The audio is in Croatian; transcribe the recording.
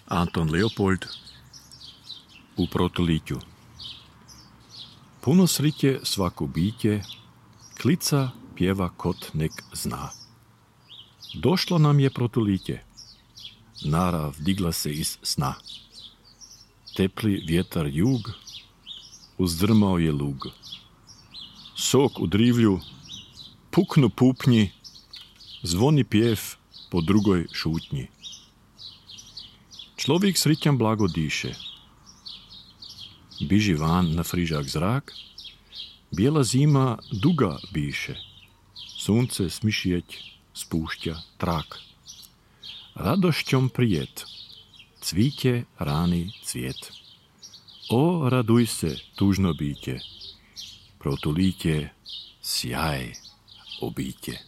Anton Leopold u Protulíťu. Puno srite svaku bíte, klica pjeva kot nek zna. Došlo nam je Protulíťe, narav digla se iz sna. Tepli vjetar jug, uzdrmao je lug. Sok u drivlju, puknu pupnji, zvoni pjev po drugoj šutnji. Človek srićan blago diše. Biži van na frižak zrak, bijela zima duga biše. Sunce smišijeć spušća trak. Radošćom prijet, cvitje rani cvijet. O, raduj se, tužno biće, Protulíťe, sjaj obitje.